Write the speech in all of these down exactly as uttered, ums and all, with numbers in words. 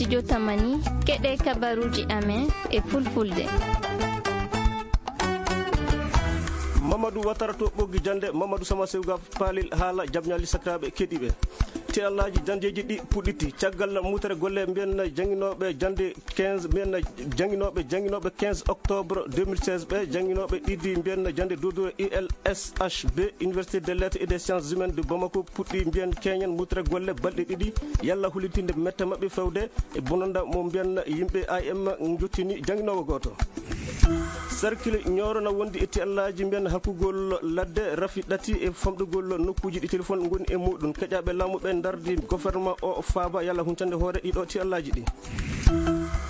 Jotamani, keɗe kabaruji amen e fulfulde. Mamadou Watara to ɓoggi jande, Mamadou Sama Sewga Palil haala jabñali sakiraɓe keɗiɓe. Te Allaji jandeji ɗi puɗɗiti caggal mutere golle mbiyen janginoɓe jande quinze, mbiyen janginoɓe, janginoɓe quinze octobre deux mille seize ɓe, janginoɓe ɗiɗi mbiyen jande dodure U L S H B, Université des Lettres et des Sciences Humaines de Bamako, puɗɗi mbiyen keñen mutere golle balɗe ɗiɗi, yalla hulintinde mette maɓɓe fewde e bononda mo mbiyen yimɓe A M jottini janginowo goto. Cercle Nioro na wondi e tiyallaji mbiyen hakkugol ladde rafi ɗati e famɗugol nokkuji ɗi téléphone ngoni e muɗum. Keƴaɓe laamu ɓe dardi gouvernement o faaba yalla huncande hoore ɗiɗo tiyallaji ɗi.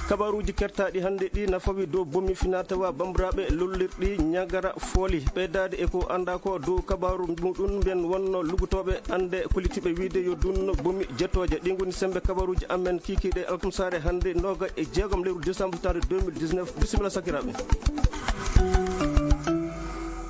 Kabaruji kertaɗi hande ɗi na fawi dow bomi finatawa bambiraɓe lollirɗi ñagara fooli. Ɓeydade e ko anda ko dow kabaru muɗum mbiyen wonno lugutoɓe ande kolitiɓe wiide yo dunno bomi jettoje. Ɗi ngoni sembe kabaruji amen kikiɗe alkamsare hande noga e jeegom lewru décembre tare deux mille dix-neuf. Bisimilla sakiraɓe.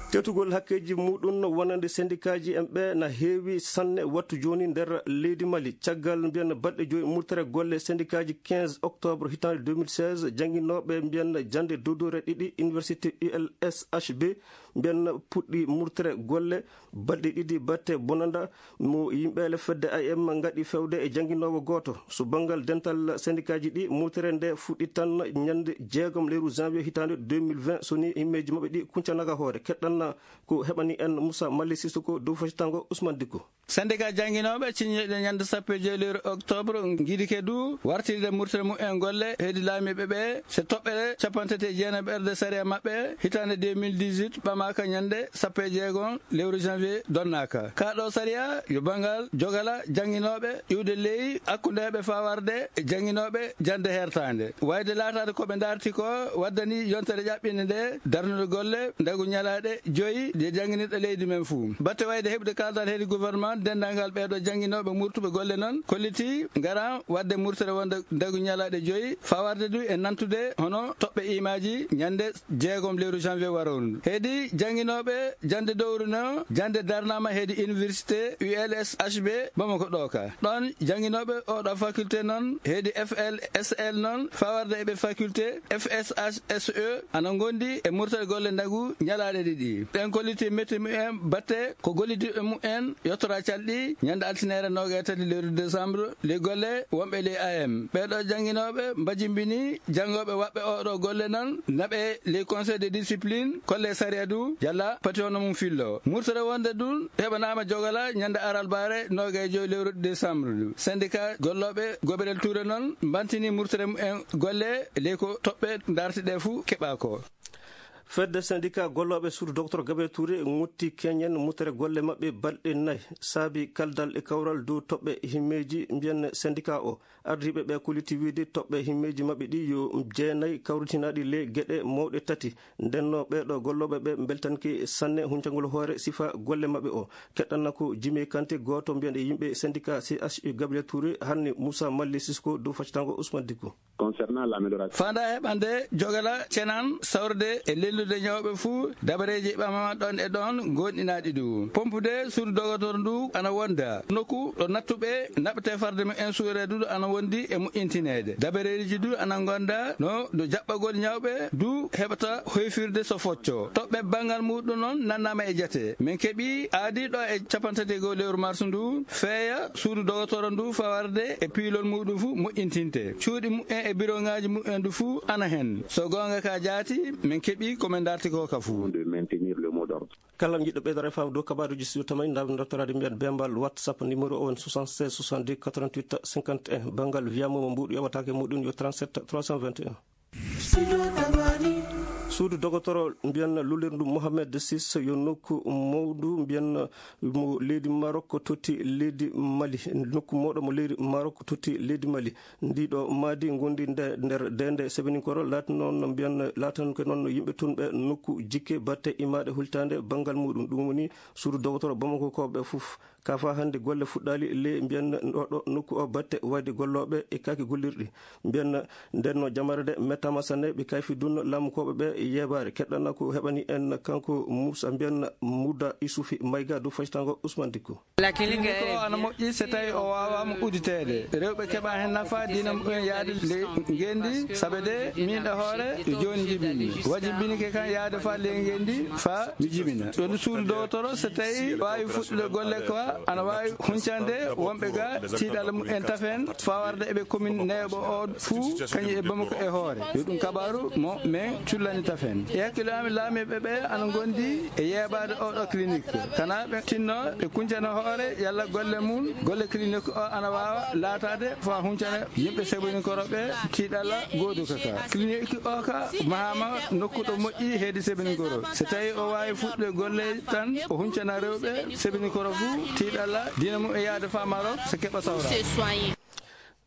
Tetugol hakkeji muɗum wonande syndicat ji en ɓe na heewi sanne wattu joni nder leydi Mali. Caggal mbiyen balɗe joyi murtere golle syndicat ji quinze octobre hitande deux mille seize, janginoɓe mbiyen jande dodore ɗiɗi université U L S H B mbiyen puɗɗi murtere golle balɗe ɗiɗi batte bonanda mo yimɓeele fedde A M gaɗi fewde e janginowo goto. So bangal dental syndicat ji ɗi, murtere nde fuɗɗi tan ñande jeegom lewru janvier hitande deux mille vingt, so ni himmeji maɓɓe ɗi kuncanaga hoore. Keɗɗanna ko heɓani en Moussa Mali Sissoko dow fasitango Ousmane Dicko. Syndicat janginoɓe ciññiɗo ñande sappo e joyi lewru octobre ngidike du wartirde murtere mumen golle hedi laamiɓe ɓe, so toɓɓere capantati e jeenaɓerde sariya maɓɓe hitande deux mille dix-huit ɓamaka ñande sappo e jeegom lewru janvier donnaka. Ka ɗo sariya yo bangal jogala janginoɓe iwde ley hakkundeɓe fawarde e janginoɓe jande hertande. Wayde laatade ko ɓe darti ko waddani yontere ƴaɓɓinde nde darnude golle ndagu ñalaɗe joyi ɗe janginirɗe leydi men fuu. Batte wayde heɓude kaldal hedi gouvernement, dendangal ɓeɗo janginoɓe murtuɓe golle non kolliti ngara wadde murtere wonde ndagu ñalaɗe joyi, fawarde du e nantude hono toɓɓe imaji ñande jeegom lewru janvier waroru. Hedi janginoɓe jande dowru no jande darnama hedi université U L S H B Bamako ɗo ka. Ɗon janginoɓe oɗo faculté non hedi F L S L non fawarde e ɓe faculté F S H S E ana gondi e murtere golle ndagu ñalaɗe ɗiɗi. Ɓen kolliti metti mumen batte ko gollidiɓe mumen yottora calɗi ñande altinere noga e tati lewru décembre. Ley golle wonɓe ley A M ɓeɗo janginoɓe mbajimbini jangoɓe waɓɓe oɗo golle non naɓe ley conseil de discipline kolle sariya du jalla pati hono mum fillo. Murtere wonde dun heɓanama jogala ñande aralbare noga e joyi lewru décembre du. Syndicat golloɓe goberel Touré non mbantini murtere mumen golle ley ko toɓɓe dartiɗe fu keɓa ko. Fedde syndicat gollooɓe suudu docteur Gabriel Touré ŋotti keñen mutere golle maɓɓe balɗe nayi. Saabi kaldal e kawral dow toɓɓe himmeeji mbiyen syndicat o. Ardiiɓe ɓe koliti wiide toɓɓe himmeeji maɓɓe ɗi yo jeenayi kawritinaaɗi le geɗe mawɗe tati. Ndenno ɓeeɗo gollooɓe ɓe mbeltanke sanne huncangol hoore sifa golle maɓɓe o. Keɗɗanna ko Jimi Kante gooto mbiyen e yimɓe syndicat C H U Gabriel Touré hanni Moussa Malli Sisko dow faccitango Ousmane Dicko. Concernant l'amélioration. Fanda heɓande jogala cenan sawrde e lellude ñawɓe fuu dabareeji ɓamama ɗon e ɗon gonɗinaaɗi ɗum. Pompude suudu dogotor ndu ana wonda. Nokku ɗo nattuɓe naɓete farde mum en suureedu ɗo ana wondi e moƴƴintineede. Dabareeji du ana gonda no ɗo jaɓɓagol ñawɓe du heɓata hoyfirde so focco. Toɓɓe banngal muɗum noon nannama e jate. Min keɓi aadi ɗo e capantategoo lewru mars ndu feeya suudu dogotoro ndu fawarde e piilol muɗum fu moƴƴintinte. Cuuɗi mumen e biroŋaaji mumen du fu ana hen. So goonga ka jaati, min keɓi ko min darti ko ka fu. De maintenir le mot d'ordre. Kala jiɗɗo ɓeydare faamu dow kabaruji studio tamay, ndaw dottorade mbiyen bembal WhatsApp numéro o woni soixante-seize soixante-deux quatre-vingt-huit cinquante et un. Banngal wiyamo mo mbuɗu yewatake muɗum yo trente-sept trois cent vingt et un. Suudu dogotoro mbiyen lullirndu Mohamed sis yo nokku mawdu mbiyen mo leydi Maroc totti leydi Mali. Nokku mawɗo mo leydi Maroc totti leydi Mali. Ndiɗo maadi gondi nde-, nder dende sebeninkoro laati noon no mbiyen, laatan ko noon no yimɓe tun ɓe nokku jikke batte imaɗe hultande banngal muɗum. Ɗum woni suudu dogotoro Bamako ko ɓe fof. Ka fa hannde golle fuɗɗaali le mbiyen oɗo nokku o batte wayde gollooɓe e kaaki gollirɗi. Mbiyen nden no jamare de mettama sanne ɓe kayfi dunno laamukooɓe ɓe yeebaare. Keɗɗanna ko heɓani en kanko Moussa mbiyan Mouda Isoufi Maïga dow faytango Ousmane Dicko. Clinique o ana moƴƴi so tawi o waawama udditeede. Rewɓe keɓa hen nafa, dina mumen yaade ley ngenndi, sabe de min e hoore jooni jibinmi. Wajibinike kan yaade fa ley ngenndi fa mi jibina. Ɗo ndu suudu dowtoro so tawi waawi fuɗɗude golle ko ana waawi huncande wonɓe ga tiiɗalla mumen tafen fa warde eɓe commune neeɓo o fuu kañum e Bamako e hoore. Yo ɗum kabaru mo men cullani tafen. E hakkille am, laamiiɓe ɓe ana ngondi e yeebaade oɗo clinique. Kana ɓe tinno ɓe kuncana hoore yalla golle mum, golle clinique o ana waawa laataade fa huncana yimɓe Sebeninkoro ɓe tiiɗalla goodu kaka. Clinique o ka mahama nokku ɗo moƴƴi heedi Sebeninkoro. So tawi o waawi fuɗɗude golle tan o huncana rewɓe Sebeninkoro fuu tiiɗalla dina mum e yaade fa Maroc so keɓa sawra.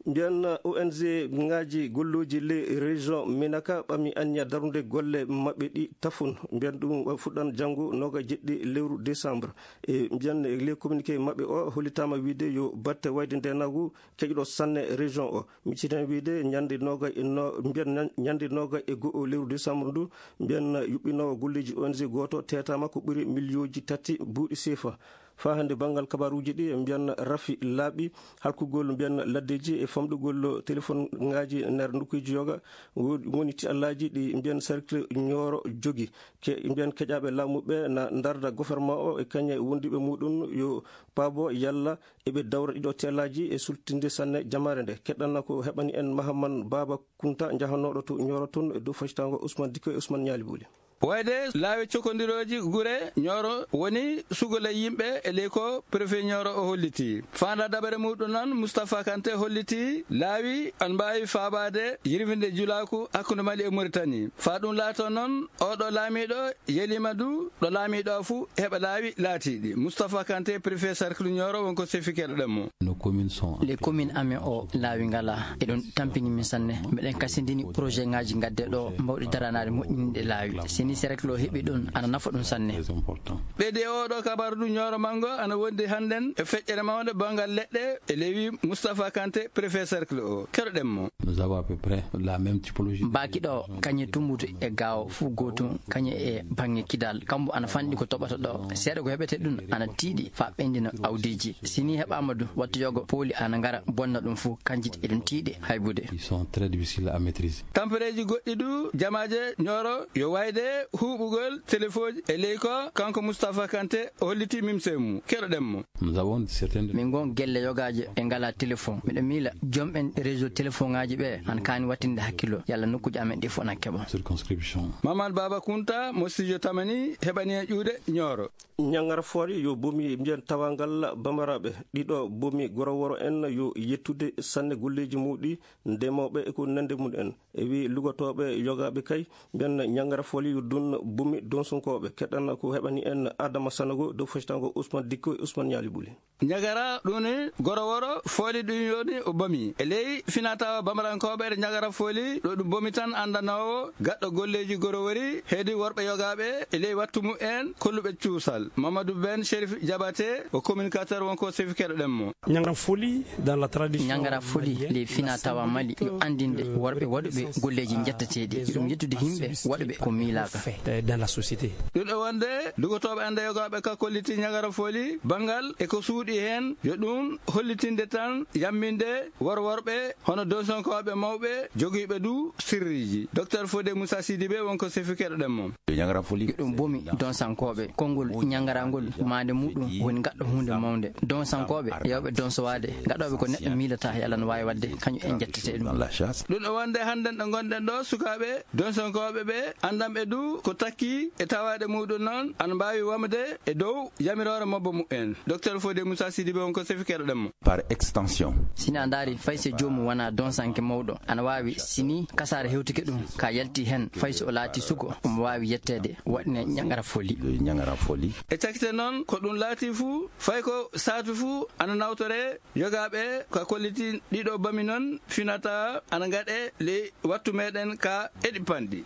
Mbiyan O N G ngaji golloji ley région Minaka ɓami anniya darnude golle maɓɓe ɗi tafun. Mbiyan ɗum fuɗɗan janngo noga jeɗɗi lewru décembre. E mbiyan ley communiqué maɓɓe o hollitama wiide yo batte wayde ndenagu keƴɗo sanne région o. Mi citan wiide ñande noga e no, mbiyan ñan-, ñande noga e go'o lewru décembre ndu, mbiyan yuɓɓinowo golleji O N G goto tetama ko ɓuri miliyonji tati buuɗi sefa. Fa hannde banngal kabaruuji ɗi mbiyan rafi laaɓi halkugol mbiyan laddeji e famɗugol téléphone ngaji nder nokkuji yoga wo-, woni ti allaji ɗi mbiyan cercle Nioro jogi. Ke-, mbiyan keƴaɓe laamu ɓe na ndarda gouvernement o e kañe wondiɓe muɗum yo paabo yalla eɓe dawra ɗiɗo ti allaji e sultinde sanne jamaare nde. Keɗɗanna ko heɓani en Mahaman Baba Kunta jahanoɗo to Nioro toon e dow facitango Ousmane Dikko e Ousmane Ñaali Booli. Wayde laawi cokondirooji gure Ñooro woni sugol e yimɓe e ley ko préfet Ñooro o holliti. Faanda dabare muɗum noon, Moustapha Kanté holliti laawi an mbaawi faabaade yirwinde julaaku hakkunde Mali e Mauritanie. Faa ɗum laato noon, oɗo laamiiɗo yeliima du ɗo laamiiɗo o fuu heɓa laawi laatiiɗi. Moustapha Kanté, préfet cercle Ñooro, wonko sefikeɗo ɗen mo. Nos communes sont en Les communes amen o laawi ngala. Eɗon tampini min sanne. Meɗen kasindini projet ngaji gadde ɗo mbawɗi daranaade moƴƴinde laawi. Sini cercle o heɓi ɗum, ana nafa ɗum sanne. Très important. Ɓeydi e oɗo kabaru du Ñooro Mango ana wondi hannden e feƴƴere mawnde banngal leɗɗe e lewi Moustapha Kanté, préfet cercle o. Keɗoɗen mo. Nous avons à peu près la même typologie. Baaki ɗo, kañe tumbutu e gaawo fuu gootum, kañe e baŋŋe kidal. Kambo ana fanɗi ko toɓata ɗo. Seeɗa ko heɓete ɗum ana tiiɗi faa ɓendina awdiiji. Si nii heɓaama du, wattu yogo pooli ana ngara bonna ɗum fuu, kanji eɗum tiiɗi haybude. Ils sont très difficiles à maîtriser. Tampereeji goɗɗi du, jamaaje Ñooro yo wayde huuɓugol telefooji e ley ko kanko Moustapha Kanté holliti mimse mum. Keɗoɗen mo. Nous avons certaines Min ngon gelle yogaaje ɓe ngalaa téléphone. Miɗo miila jomɓen réseau téléphone ŋaaji ɓe ana kaani wattinde hakkilo yalla nokkuuji amen ɗi fof na keɓa. Circonscription. Mamadou Baba Kunta mo studio Tamani heɓani en ƴuude Ñooro. Ñangara Fooli yo bomi mbiyan tawangal Bamaraɓe. Ɗiɗo bomi Goroworo en yo yettude sanne golleeji muɗi ndemooɓe e ko nande mum en. E wi lugotooɓe yogaaɓe kay, mbiyan Ñangara Fooli yo dun bumi donsonkooɓe. Keɗan ko heɓani en Adama Sanogo dow feccitango Ousmane Dikko e Ousmane Ñaali Ɓuli. Ñagara ɗum ni Goroworo Fooli ɗum yoni o bomi. E ley finatawa Bamarankooɓe ɗo Ñagara Fooli ɗo ɗum bomi tan anndanoowo gaɗɗo golleeji Gorowori heedi worɓe yogaaɓe e ley wattu mumen kolluɓe cuusal. Mamadou Ben Chérif Diabaté o communicateur wonko sefikeɗo ɗen mo. Ñangara Fooli dans la tradition Ñangara Fooli malienne, ley fina tawa Mali yo anndinde worɓe waɗuɓe golleeji njetteteeɗi. Ɗum yettude yimɓe waɗuɓe ko miilaaka. Dans la société. Ɗum ɗo wonde lugotooɓe annda yogaaɓe ka kolliti Ñagara Fooli banngal e ko suuɗi heen yo ɗum hollitinde tan yamminde worworɓe hono donsonkooɓe mawɓe jogiiɓe du sirriiji. Docteur Fodé Moussa Sidibé wonko sefikeɗo ɗen mo. Ñangara Fooli. Ɗum bomi donsankooɓe. Konngol ñangarangol maande muɗum woni gaɗɗo huunde mawnde. Donsankooɓe yewɓe donsowaade, gaɗooɓe ko neɗɗo miilata yalla no waawi waɗde, kañum en njettete ɗum. Dans la chasse. Ɗum ɗo wonde hannden ɗo ngonɗen ɗo, sukaaɓe donsankooɓe ɓe, anndanɓe du ko takki e tawaaɗe muɗum noon, ana mbaawi wamde e dow yamiroore mobbo mumen. Docteur Fodé Moussa Sidibé wonko sefikeɗo ɗen mo. Par extension. Sini a ndaari, fay so joomum wonaa donsanke mawɗo, ana waawi, sini kasaara hewtike ɗum, ka yalti heen, fay so o laati suko, omo waawi yetteede, waɗne Ñangara Fooli. Ñangara Fooli. E cakkite noon, ko ɗum laati fuu, fay ko saatu fuu, ana nawtore yogaaɓe ka kolliti ɗiɗo bami noon, finata ana ngaɗe ley wattu meɗen ka eɗi panɗi.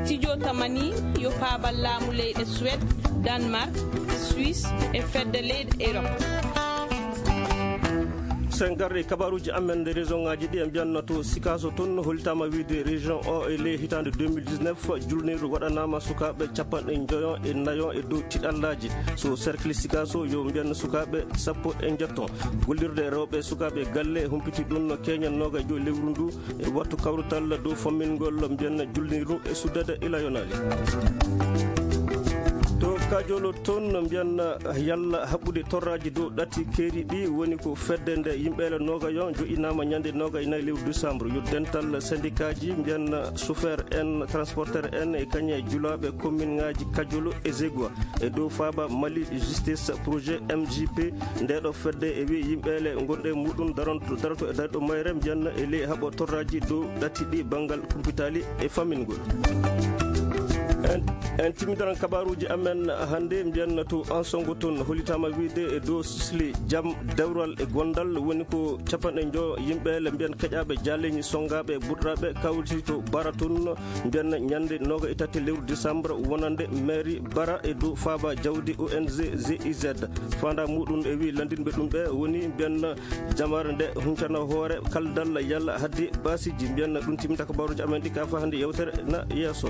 Studio Tamani yo paabal laamu leyɗe Suède, Danemark, Suisse e fedde leyɗe Europe. Sen garde e kabaruuji amen nde région ŋaaji ɗi, en mbiyanno to Sikaso toon, hollitaama wiyde région o e ley hitaande deux mille dix-neuf, julnirdu waɗanaama sukaaɓe capanɗe njoyo e nayo e dow tiɗallaaji. So cercle Sikaso, yo mbiyan sukaaɓe sappo e njetto. Gollirde rewɓe e sukaaɓe galle humpiti ɗum no keñen noogajo lewru ndu e wattu kawrital dow fammingol mbiyan julnirdu e suddada ila yonaali. To Kajolo toon no mbiyan yalla haɓɓude torraaji dow ɗati keeri ɗi woni ko fedde nde yimɓeele noogayo joɗɗinaama ñande noogay nayi lewru décembre. Yo dental syndicatji mbiyan chauffeur en, transporteur en e kañe julaaɓe commune ŋaaji Kajolo e Zegua e dow faaba Mali Justice Projet M J P. Nde ɗo fedde e wi yimɓeele gonɗe muɗum daronto, daroto e darɗo mayre mbiyan e ley haɓo torraaji dow ɗati ɗi banngal kumpitaali e fammingol. En, en timmidaran kabaruuji amen hannde, mbiyanna to Ansongo toon, hollitaama wiyde e dow sisli jam, dewral e gondal, woni ko capanɗe njo yimɓe le mbiyan keƴaaɓe jaaleñi, sonngaaɓe, burɗaaɓe, kawriti to Bara toon, mbiyanna ñande nooga e tati lewru décembre, wonande mairie Bara e dow faaba jawdi O N G G I Z. Faanda muɗum e wi lanndinɓe ɗum ɓe woni mbiyanna jamaare nde huncana hoore kaldal yalla hadde baasiji. Mbiyanna ɗum timminta kabaruuji amen ɗi ka fa hannde yewtere na yeeso.